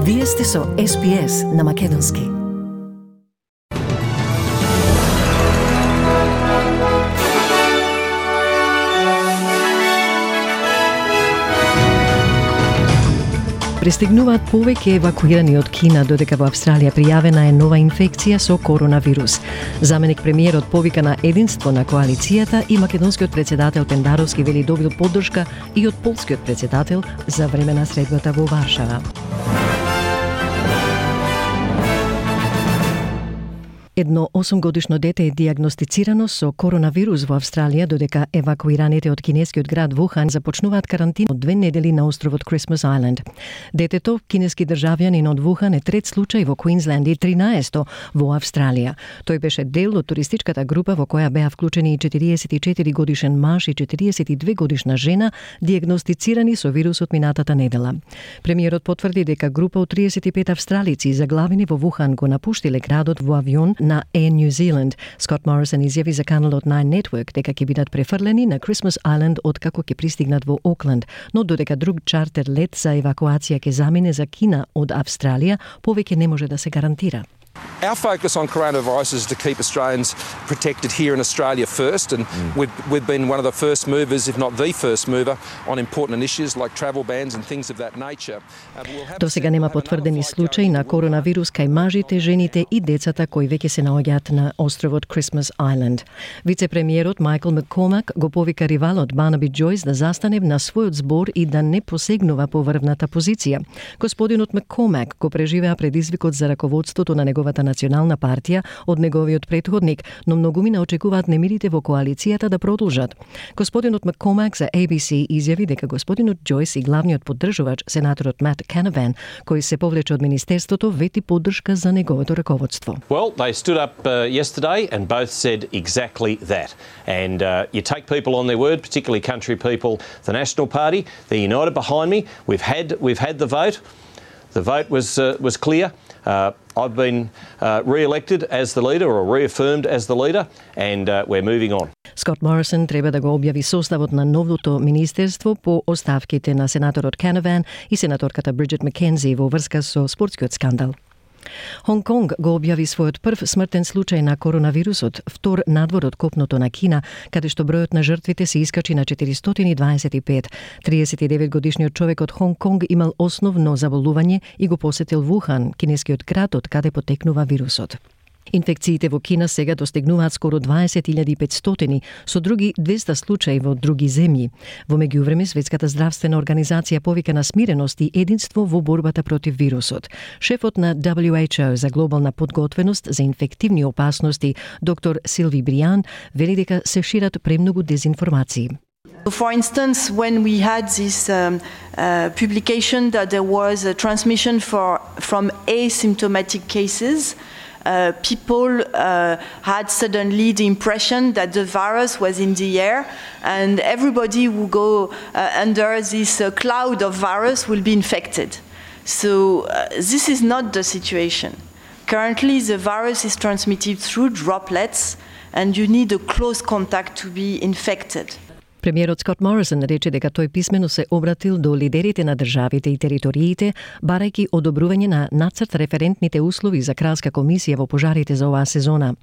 Вие сте со SPS на Македонски. Пристигнуваат повеќе евакуирани од Кина, додека во Австралија пријавена е нова инфекција со коронавирус. Заменик премиерот повика на единство на коалицијата и македонскиот председател Пендаровски вели добил поддршка и од полскиот председател за време на средбата во Варшава. Едно 8-годишно дете е диагностицирано со коронавирус во Австралија, додека евакуираните од кинескиот град Вухан започнуваат карантина од 2 недели на островот Christmas Island. Детето, кинески државјанин од Вухан, е трет случај во Квинсленд и 13-то во Австралија. Тој беше дел од туристичката група во која беа вклучени и 44 годишен маж и 42 годишна жена, диагностицирани со вирусот минатата недела. Премиерот потврди дека група од 35 австралици заглавени во Вухан го напуштиле градот во авион на Air New Zealand. Скот Морисон изјави за каналот Nine Network дека ќе бидат префрлени на Christmas Island откако ќе пристигнат во Окленд, но додека друг чартер лет за евакуација ќе замине за Кина од Австралија, повеќе не може да се гарантира. Our focus on coronavirus is to keep Australians protected here in Australia first, and we've been one of the first movers, if not the first mover, on important issues like travel bans and things of that nature. До сега нема потврдени случаи на коронавирус кај мажите, жените и децата кои веќе се наоѓаат на островот Christmas Island. Вице-премиерот Майкл Маккормак го повика ривалот Барнаби Джойс да застане на својот збор и да не посегнува по врвната позиција. Господинот Маккормак го преживеа предизвикот за раководството на неговата национална партија од неговиот претходник, но многумина очекуваат немирите во коалицијата да продолжат. Господинот Маккормак за ABC изјави дека господинот Джойс и главниот поддржувач, сенаторот Мат Канаван, кој се повлече од министерството, вети поддршка за неговото раководство. Well, they stood up yesterday and both said exactly that. And you take people on their word, particularly country people. The National Party, they're united behind me. We've had the vote. The vote was clear. I've been re-elected as the leader or reaffirmed as the leader, and we're moving on. Скот Морисон треба да го објави составот на новото министерство по оставките на сенаторот Канаван и сенаторката Бриджит Маккензи во врска со спортскиот скандал. Хонг Конг го објави својот прв смртен случај на коронавирусот, втор надвор од копното на Кина, каде што бројот на жртвите се искачи на 425. 39-годишниот човек од Хонг Конг имал основно заболување и го посетил Вухан, кинескиот град од каде потекнува вирусот. Инфекциите во Кина сега достигнуваат скоро 20.500, со други 200 случаи во други земји. Во меѓувреме, Светската здравствена организација повика на смиреност и единство во борбата против вирусот. Шефот на WHO за глобална подготвеност за инфективни опасности, доктор Силви Бриан, вели дека се шират премногу дезинформации. For instance, when we had this publication that there was a transmission from asymptomatic cases, people had suddenly the impression that the virus was in the air, and everybody who go under this cloud of virus will be infected. So this is not the situation. Currently, the virus is transmitted through droplets, and you need a close contact to be infected. Премиерот Скот Морисон рече дека тој писмено се обратил до лидерите на државите и териториите, барајќи одобрување на нацрт референтните услови за кралска комисија во пожарите за оваа сезона.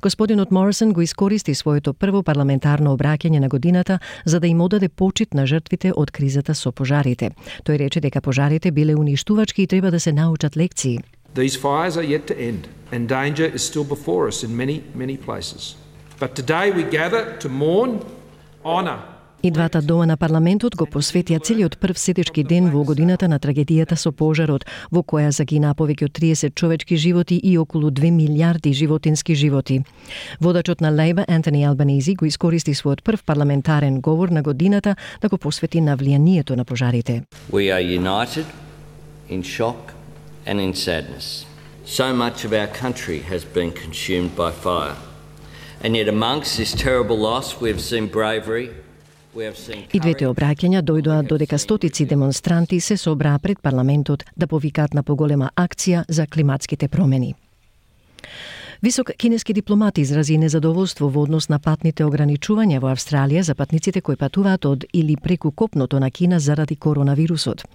Господинот Морисон го искористи своето прво парламентарно обраќање на годината за да им одаде почит на жртвите од кризата со пожарите. Тој рече дека пожарите биле уништувачки и треба да се научат лекции. These fires are yet to end, and danger is still before us in many places. But today we gather to mourn, honor. И двата дома на парламентот го посветија целиот прв сетечки ден во годината на трагедијата со пожарот, во која загинаа повеќе од 30 човечки животи и околу 2 милиарди животински животи. Водачот на Лейбор Антони Албанези го искористи својот прв парламентарен говор на годината да го посвети на влијанието на пожарите. We are united in shock and in sadness. So much of our country has been consumed by fire. And yet amongst this terrible loss we've seen bravery. И двете обраќања дојдоа додека стотици демонстранти се собраа пред парламентот да повикаат на поголема акција за климатските промени. Висок кинески дипломат изрази незадоволство во однос на патните ограничувања во Австралија за патниците кои патуваат од или преку копното на Кина заради коронавирусот.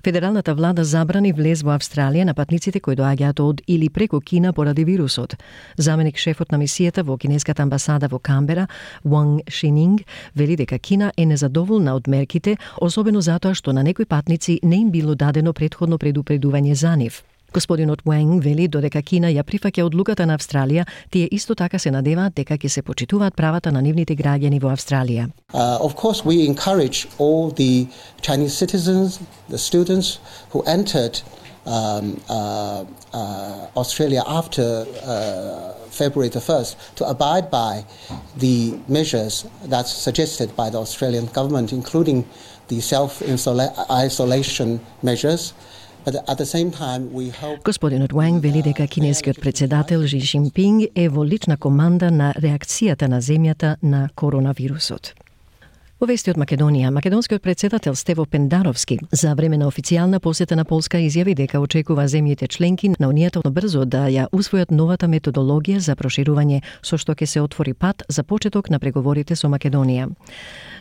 Федералната влада забрани влез во Австралија на патниците кои доаѓаат од или преку Кина поради вирусот. Заменик шефот на мисијата во кинеската амбасада во Камбера, Wang Xining, вели дека Кина е незадоволна од мерките, особено затоа што на некои патници не им било дадено претходно предупредување за нив. Господинот Уанг вели додека Кина ја прифаќа одлуката на Австралија, тие исто така се надеваат дека ќе се почитуваат правата на нивните граѓани во Австралија. Of course, we encourage all the Chinese citizens, the students who entered Australia after February the 1st to abide by the measures that's suggested by the Australian government, including the self-isolation measures. But at the same time, we hope... Господинот Уанг вели дека кинескиот председател Xi Jinping е во лична команда на реакцијата на земјата на коронавирусот. Во вести од Македонија, македонскиот председател Стево Пендаровски за време на официјална посета на Полска изјави дека очекува земјите членки на Унијата брзо да ја усвојат новата методологија за проширување со што ќе се отвори пат за почеток на преговорите со Македонија.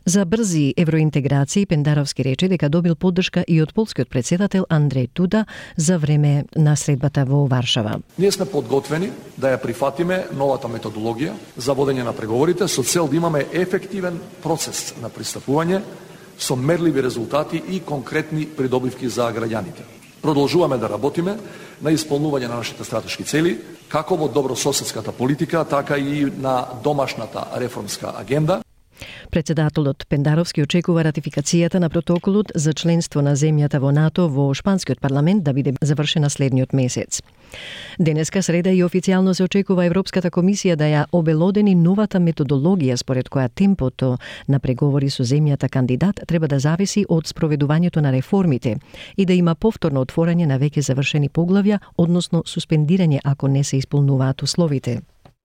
За брзи евроинтеграции Пендаровски рече дека добил поддршка и од полскиот председател Андреј Дуда за време на средбата во Варшава. Ние сме подготвени да ја прифатиме новата методологија за водење на преговорите со цел да имаме ефективен процес на пристапување со мерливи резултати и конкретни придобивки за граѓаните. Продолжуваме да работиме на исполнување на нашите стратешки цели, како во добрососедската политика, така и на домашната реформска агенда. Председателот Пендаровски очекува ратификацијата на протоколот за членство на земјата во НАТО во шпанскиот парламент да биде завршена следниот месец. Денеска среда и официјално се очекува Европската комисија да ја обелодени новата методологија според која темпото на преговори со земјата кандидат треба да зависи од спроведувањето на реформите и да има повторно отворање на веќе завршени поглавја, односно суспендирање ако не се исполнуваат условите.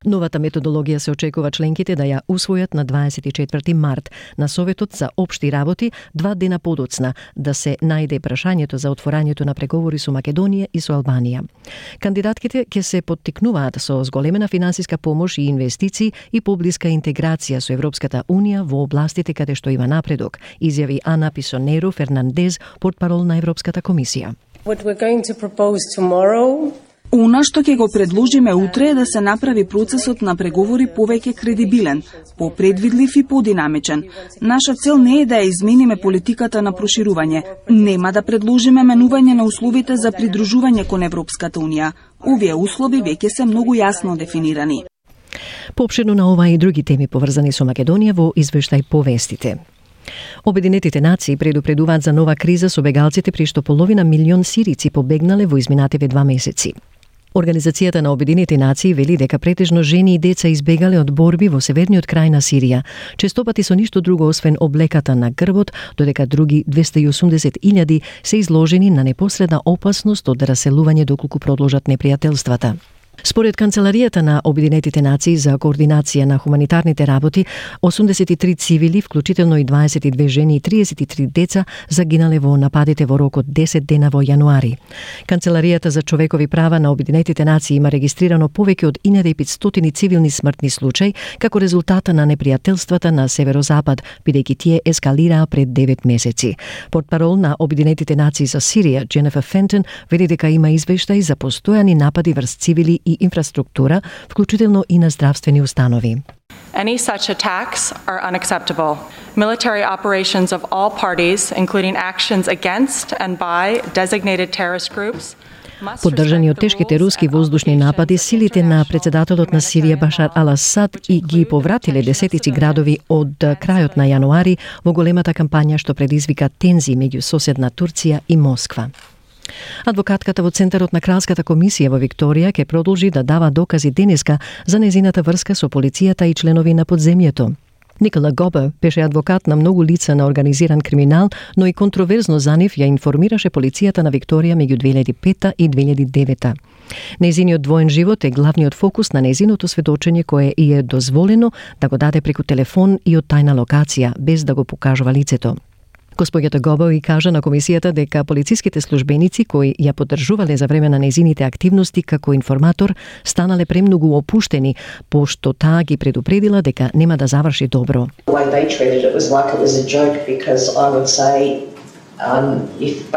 Новата методологија се очекува членките да ја усвојат на 24 март на Советот за општи работи 2 дена подоцна да се најде прашањето за отворањето на преговори со Македонија и со Албанија. Кандидатките ќе се поттикнуваат со зголемена финансиска помош и инвестиции и поблиска интеграција со Европската Унија во областите каде што има напредок, изјави Ана Писонеро Фернандез, портпарол на Европската комисија. What we're going to propose tomorrow Она што ќе го предложиме утре е да се направи процесот на преговори повеќе кредибилен, попредвидлив и подинамичен. Наша цел не е да ја измениме политиката на проширување. Нема да предложиме менување на условите за придружување кон Европската Унија. Овие услови веќе се многу јасно дефинирани. Поопширно на ова и други теми поврзани со Македонија во извештај по вестите. Обединетите нации предупредуваат за нова криза со бегалците при што половина милион сирици побегнале во изминативе 2 месеци. Организацијата на Обединети нации вели дека претежно жени и деца избегале од борби во северниот крај на Сирија, честопати со ништо друго освен облеката на грбот, додека други 280.000 се изложени на непосредна опасност од раселување доколку продолжат непријателствата. Според Канцеларијата на Обединетите нации за координација на хуманитарните работи, 83 цивили, вклучително и 22 жени и 33 деца, загинале во нападите во рок од 10 дена во јануари. Канцеларијата за човекови права на Обединетите нации има регистрирано повеќе од 1500 цивилни смртни случаи како резултата на непријателствата на северозапад, бидејќи тие ескалираа пред 9 месеци. Портпарол на Обединетите нации за Сирија, Дженефер Фентон, вели дека има извештаи за постојани напади врз цивили и инфраструктура, вклучително и на здравствени установи. Any such attacks are unacceptable. Military operations of all parties, including actions against and by designated terrorist groups, Поддржани од тешките руски воздушни напади, силите на председателот на Сирија Башар ал-Асад и ги повратиле десетици градови од крајот на јануари во големата кампања што предизвика тензии меѓу соседна Турција и Москва. Адвокатката во Центарот на Кралската комисија во Викторија ќе продолжи да дава докази денеска за незината врска со полицијата и членови на подземјето. Никола Гобер беше адвокат на многу лица на организиран криминал, но и контроверзно за нив ја информираше полицијата на Викторија меѓу 2005 и 2009. Незиниот двоен живот е главниот фокус на незиното сведочење кое и е дозволено да го даде преку телефон и од тајна локација, без да го покажува лицето. Госпоѓата Гобови кажа на комисијата дека полициските службеници кои ја поддржувале за време на нејзините активности како информатор станале премногу опуштени, пошто таа ги предупредила дека нема да заврши добро. The way they treated it was like it was a joke, because I would say if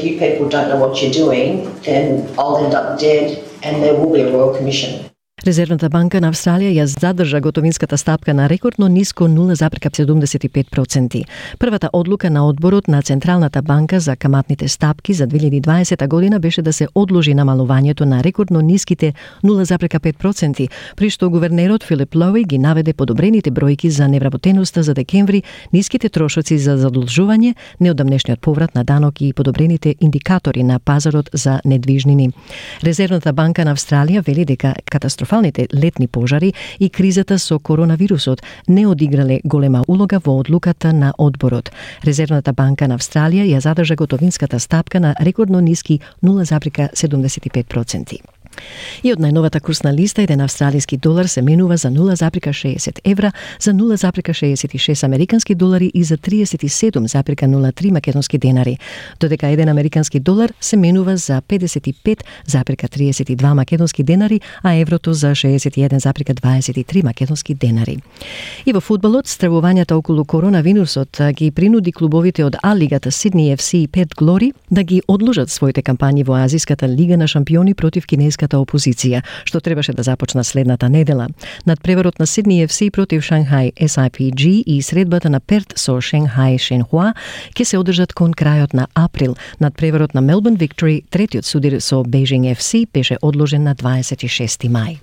you people don't know what you're doing, then I'll end up dead and there will be a Royal Commission. Резервната банка на Австралија ја задржа готовинската стапка на рекордно ниско 0,75%. Првата одлука на одборот на Централната банка за каматните стапки за 2020 година беше да се одложи намалувањето на рекордно ниските 0,5%, при што гувернерот Филип Лоуи ги наведе подобрените бројки за невработеноста за декември, ниските трошоци за задолжување, неодамнешниот поврат на данок и подобрените индикатори на пазарот за недвижнини. Резервната банка на Австралија вели дека катастрофалните летни пожари и кризата со коронавирусот не одиграле голема улога во одлуката на одборот. Резервната банка на Австралија ја задржа готовинската стапка на рекордно ниски 0,75%. И од најновата курсна листа, еден австралиски долар се менува за 0,60 евра, за 0,66 американски долари и за 37,03 македонски денари, додека еден американски долар се менува за 55,32 македонски денари, а еврото за 61,23 македонски денари. И во фудбалот, стравувањата околу коронавирусот ги принуди клубовите од А-лигата Сидни FC и Перт Глори да ги одложат своите кампањи во Азиската лига на шампиони против кинеската опозиција, што требаше да започна следната недела. Надпреварот на Сидни FC против Шанхај SIPG и средбата на Перт со Шенхај Шенхуа ќе се одржат кон крајот на април. Надпреварот на Мелбурн Виктори, третиот судир со Бејжинг FC, беше одложен на 26 мај.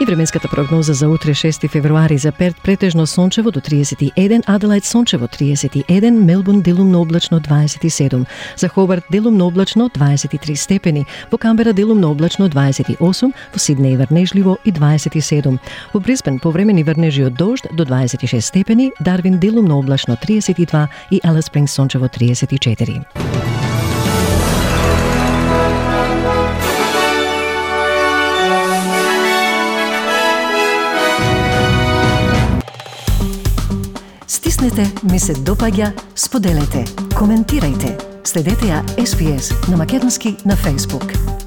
И временската прогноза за утре 6 февруари: за Перт претежно сончево до 31, Аделајд сончево 31, Мелбурн делумно облачно 27, за Хобарт делумно облачно 23 степени, во Камбера делумно облачно 28, во Сиднеј врнежливо и 27, во Брисбен повремени врнежи од дожд до 26 степени, Дарвин делумно облачно 32 и Алис Спрингс сончево 34. Стиснете, ми се допаѓа, споделете, коментирајте. Следете ја SPS на македонски на Facebook.